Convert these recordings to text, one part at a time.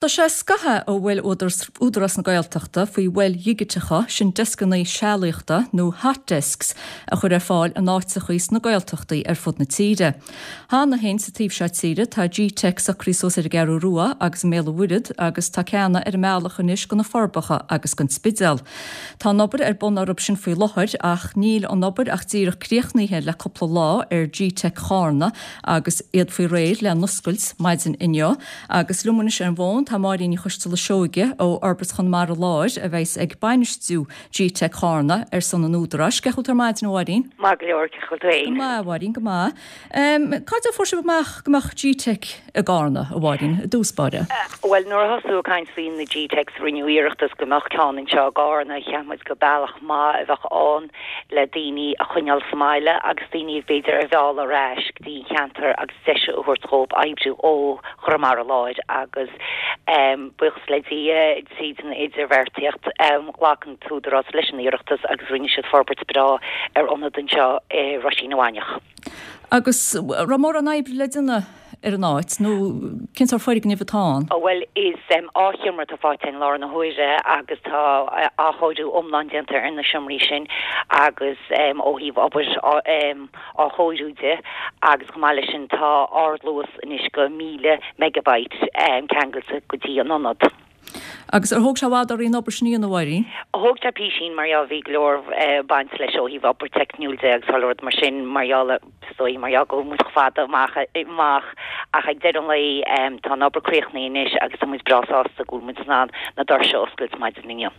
Tá sé scaitheamh ó bhuail Údarás na Gaeltachta faoi mhoil dhigiteacha, sin deascanna sealaíochta nó hot desks, a chur ar fáil in áiteachaí sna Gaeltachtaí ar fud na tíre. Cheana féin sa taobh seo tíre tá G-Teic socraithe suas ar an gCeathrú Rua agus i mBéal an Mhuirthead agus tá ceanna ar an mbealach anois go na Forbacha agus gon Spidéal. Tá an obair ar bun orthu sin faoi láthair ach níl an obair ach díreach críochnaithe le cúpla lá ar G-Teic Chárna agus iad faoi réir le n-oscailt maidin inniu. Agus liom anois ar an bhfón tá Máirín Ní Choisteala Seoige ó Fhorbairt Chonamara Láir a bheas ag bainistiú G-Teic Chárna ar son an Údaráis. Cén chaoi a bhfuil tú ar maidin a Mháirín? Maith go leor, cén chaoi a bhfuil tú fhéin? Go maith a Mháirín, go maith. Cá dtig a fuair sibh amach go mbeadh G-Teic i gCárna, a Mháirín, i dtús báire? Bhuel, nuair a thosaíodh ag caint faoi na G-Teics rinneadh iarrachtas go mbeadh ceann anseo i gCárna. Cheap muid gur bealach maith a bheadh ann le daoine a choinneáil sa mbaile agus daoine b'fhéidir a mhealladh ar ais go dtí an cheantar agus deis a thabhairt dhóibh oibriú ó Chonamara Láir agus buíochas le Dia tríd an idirbheartaíocht ghlac an tÚdarás leis an iarrachtas agus rinne siad forbairt breá ar ionad anseo i Roisín na Mainiach. Agus raibh mórán oibre le déanamh ar an áit nó cén sórt foirgnimh atá ann? Bhuel is dhá sheomra atá faighte i láthair na huaire agus tá athchóiriú iomlán déanta ar na seomraí sin agus ó thaobh obair athchóiriú de agus chomh maith leis sin tá ardluas anois go 1000 megabyte ceangailte go dtí an ionad. Agus ar thóg sé i bhfad oraibh an obair sin a dhéanamh, a Mháirín? Thóg sé písín mar gheall bhí go leor baint leis ó thaobh obair teicniúil de agus chuile rud mar sin mar gheall is dóigh mar gheall go bhfuil muid chomh fada amach amach ach ag deireadh an lae tá an obair críochnaithe anois agus tá muid breá sásta go bhfuil muid in ann na doirse a oscailt maidin inniu.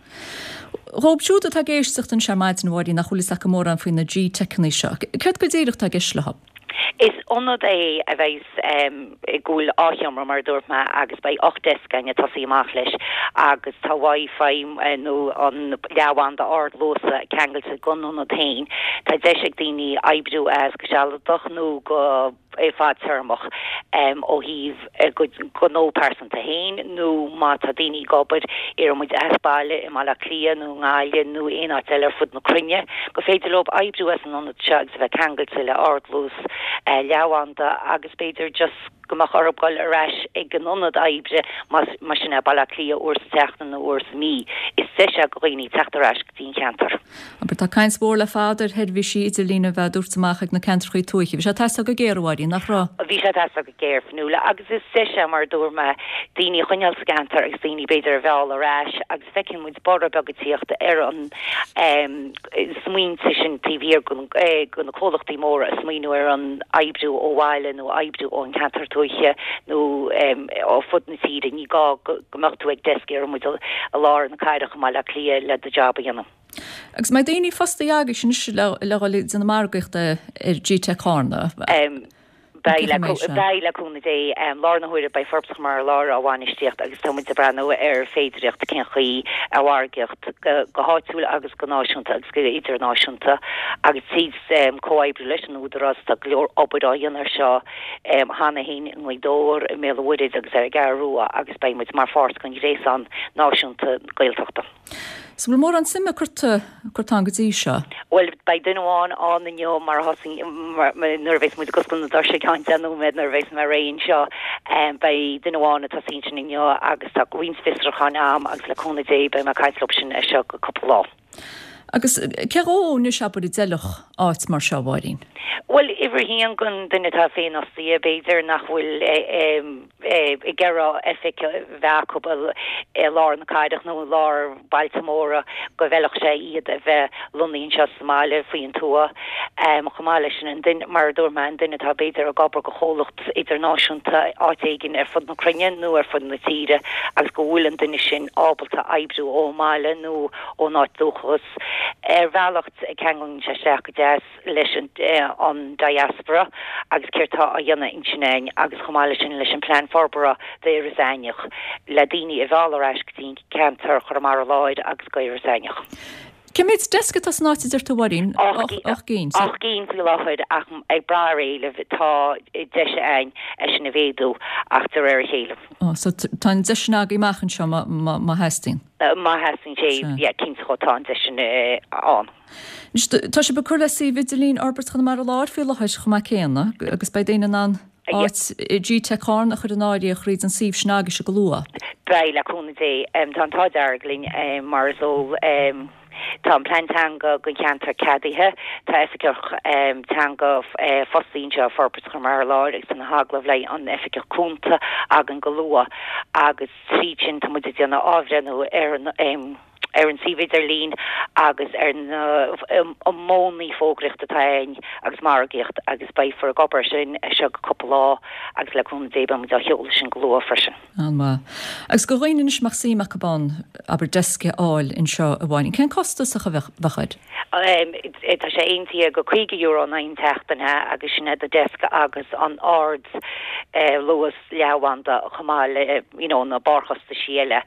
Dhóibh siúd atá ag éisteacht anseo ar maidin, a Mháirín, nach bhfuil fhios acu mórán faoi na G-Teiceanna seo, céard go díreach atá i gceist leo? Is ionad é a bheidh go bhfuil dhá sheomra, mar a dúirt mé, agus beidh 8 deasc againn ag tosaí amach leis agus tá Wi-Fi nó an leathbhanda ardluasa ceangailte don ionad féin. Tá deis ag daoine oibriú as go sealadach nó go. fadtéarmach ó thaobh a gcuid gnó pearsanta féin nó má tá daoine ag obair, iarrann muid as baile i mBaile Átha Cliath nó i nGaillimh nó aon áit eile ar fud na cruinne, gur féidir leo oibriú as an ionad seo agus a bheith ceangailte le ardluas leathbhanda agus b'fhéidir just go mbeadh orthu dul ar ais ag an ionad oibre más sin é Baile Átha Cliath uair sa tseachtain nó uair sa mhí. Is deis é do dhaoine teacht ar ais go dtí an cheantar. Abair, tá caint mhór le fada ar sheirbhísí idirlín a bheith á dtabhairt amach ag na ceantrachaí tuaithe. Bhí sé ag teastáil go géar, a Mháirín, nach raibh? Bhí sé ag teastáil go géar, Fionnuala, agus is deis é, mar a dúirt mé, daoine a choinneáil sa gceantar agus daoine, b'fhéidir, a mhealladh ar ais agus feiceann muid borradh beag ag tíocht ar an smaointe sin taobh thiar de na comhlachtaí móra ag smaoineamh ar an oibriú ó bhaile nó oibriú ón cheantar tuaithe nó ó fud na tíre. Ní gá go mbeadh tú ag desk iarrann muid i lár na cathrach i mBaile Átha Cliath le do job a dhéanamh. Agus an mbeidh daoine fostaithe agaibhse anois le dhul ag déanamh margaíochta ar G-Teic Chárna? Beidh, beidh, le cúnamh Dé. Láthair na huaire beidh Forbairt Chonamara Láir á bhainistíocht agus tá muid ag breathnú ar féidireacht cén chaoi a mhargaíocht go háitiúil agus go náisiúnta agus go idirnáisiúnta agus tríd comhoibriú leis an Údarás tá go leor obair á dhéanamh ar seo cheana féin i nGaoth Dobhair, i mBéal an Mhuirthead agus ar an gCeathrú Rua agus beidh muid mar pháirt den ghréasán náisiúnta Gaeltachta. So bhfuil mórán suime curtha curtha ann go dtí seo? Bhuel, beidh duine amháin ann inniu mar a thosaigh, nuair a bheas muid ag oscailt na doirse i gceann 10 nóiméad nuair a bheas mé réidh anseo, beidh duine amháin ag tosaí ansin inniu agus tá roinnt fiosrúcháin a'm agus le cúnamh Dé beidh mé ag caint leo sin as seo go cúpla lá. Agus cé dhó anois abair a d'fheilfeadh áit mar seo, a Mháirín? Bhuel, uimhir a haon don duine atá féinfhostaithe, b'fhéidir nach bhfuil ag iarraidh oifig a bheith acu i lár na cathrach nó i lár bailte móra go bhfeilfeadh sé iad a bheith lonnaithe anseo sa mbaile faoin tuath. Chomh maith leis sin, an duine, mar a dúirt mé, an duine atá b'fhéidir ag obair do chomhlacht idirnáisiúnta áit éigin ar fud na cruinne nó ar fud na tíre agus go bhfuil an duine sin ábalta oibriú ón mbaile nó ón áit dúchas. Ar bhealach ceanglaíonn sé isteach go deas leis an diaspora agus céard tá á dhéanamh ansin againn agus chomh maith leis sin leis an plean forbartha d'Iorras Aithneach le daoine a mhealladh ar ais go dtí ceantar Chonamara Láir agus go Iorras Aithneach. Cé mhéad deasc atá san áit a deir tú, a Mháirín? 8 gcinn. 8 gcinn faoi láthair ach ag brath ar éileamh tá deis againn é sin a mhéadú ach de réir a chéile. So tá an deis sin agaibh amach anseo má theastaíonn. Má theastaíonn sé, yeah, cinnte tá an deis sin ann. Anois, tá sibh ag cur le suíomh idirlín Fhorbairt Chonamara Láir faoi láthair chomh maith céanna agus beidh daoine in ann. Áit GTeic Charna a chur in áirithe thríd an suíomh sin agaibhse go luath. Beidh, le cúnamh Dé. Tá an t-ádh dearg linn, mar is eol. Tá an plean teanga don cheantar ceadaithe. Tá oifigeach teanga fostaithe anseo i Forbairt Chonamara Láir agus tá na hagallaimh le an oifigeach cúnta againn go luath agus tríd sin tá muid ag déanamh athbhreithniú ar an ar an suíomh idirlín agus ar na modhanna fógraíochta atá againn agus margaíocht agus beifear ag obair air sin as seo go cúpla lá agus le cúnamh Dé beidh muid á sheoladh sin go luath freisin. An-mhaith. Agus do dhaoine anois a mbeadh suim acu ann, abair, deasc a fháil anseo a Mháirín, cén costas a bheadh air? Tá sé aontaithe go €50 in aghaidh an tseachtaine agus sin é do deasc agus an ard luas leathbhanda chomh maith le you know na barrchostaisí eile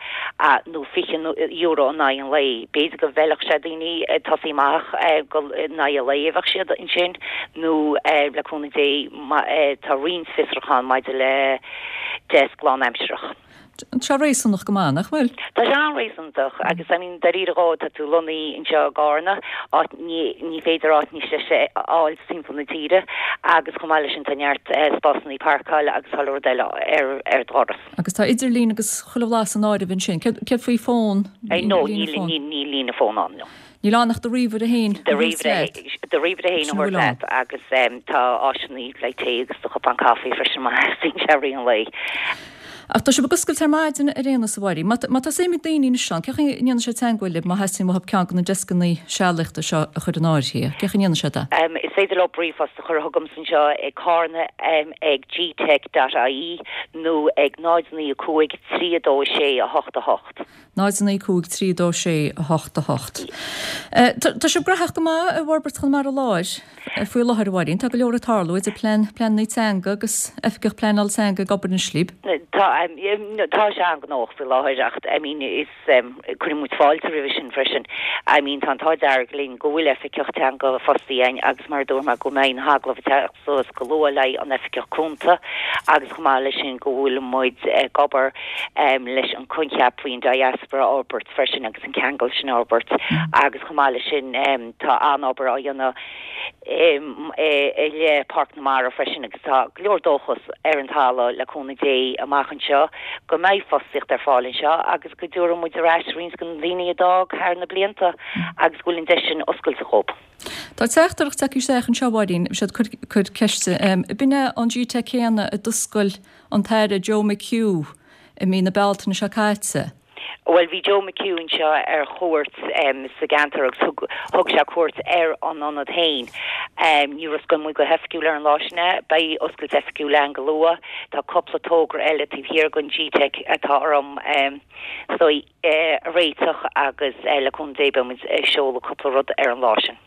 nó €20 in aghaidh an lae. B'fhéidir go bhfeilfeadh sé daoine tosaí amach go in aghaidh an lae a bheadh siad ansin nó le cúnamh Dé tá roinnt fiosrúchán maidir le deasc lánaimsearach. Tá sé réasúnach go maith, nach bhfuil? Tá sé an-réasúnach agus I mean dáiríre dhó tá tú lonnaithe anseo i gCarna, áit ní ní féidir áit níos deise a fháil timpeall na tíre agus chomh maith leis sin tá neart spásanna páirceála agus chuile rud eile ar ar do dhoras. Agus tá idirlíon agus chuile bhlas san áireamh ansin. Céard céard faoi fón? No, níl níl líne fón ann, no. Níl ann ach do ríomhaire féin a thabhairt leat. Do ríomhaire féin a thabhairt leat agus tá áiseanna le tae agus do chupán caife freisin má theastaíonn sé i rith an lae. Ach tá sibh ag oscailt ar maidin ar aon nós a Mháirín. Má tá suim ag daoine anois ann, cén chaoi a ndéanfaidh siad teagmháil libh má theastaíonn uathu ceann de na deascanna sealaíochta seo a chur in áirithe? Cén chaoi a ndéanfaidh siad é? Is féidir leo ríomhphost a chur chugamsa anseo ag carna ag gteic dot ie nó ag 0 9 5 3 2 6 8 8. 0 9 5 3 2 6 8 8. Tá sibh gnóthach go maith i bhForbairt Chonamara Láir faoi láthair, a Mháirín. Tá go leor ag tarlú idir plean, pleananna teanga agus oifigeach pleanála teanga ag obair anois libh. Tá, tá sé an-ghnóthach faoi láthair ach I mean is, cuireann muid fáilte roimhe sin freisin. I mean tá an t-ádh dearg linn go bhfuil oifigeach teanga fostaithe againn agus mar a dúirt mé go mbeidh na hagallaimh ag teacht suas go luath le an oifigeach cúnta agus chomh maith leis sin go bhfuil muid ag obair leis an coincheap faoin diaspora a fhorbairt freisin agus an ceangal sin a fhorbairt agus chomh maith leis sin tá an-obair á dhéanamh i leith Páirc na Mara freisin agus tá go leor dóchas ar an talamh le cúnamh Dé amach anseo go mbeidh fostaíocht ar fáil anseo agus go dtabharfaidh muid ar ais roinnt de na daoine a d'fhág thar na blianta agus go bhfuil an deis sin oscailte dhóibh. Tá teachtaireacht tagtha isteach anseo, a Mháirín, bhí siad ag cur ceiste. B'in é an GTeic céanna a d'oscail an tAire Joe McHugh i mí na Bealtaine seo caite. Bhuel, bhí Joe McHugh anseo ar chuairt sa gceantar agus thug thug sé cuairt ar an ionad féin. Níor oscail muid go hoifigiúil ar an lá sin é. Beidh oscailt oifigiúil ann go luath. Tá cúpla togra eile taobh thiar den GTeic atá orm is dóigh a réiteach agus le cúnamh Dé beidh muid ag seoladh cúpla rud ar an lá sin.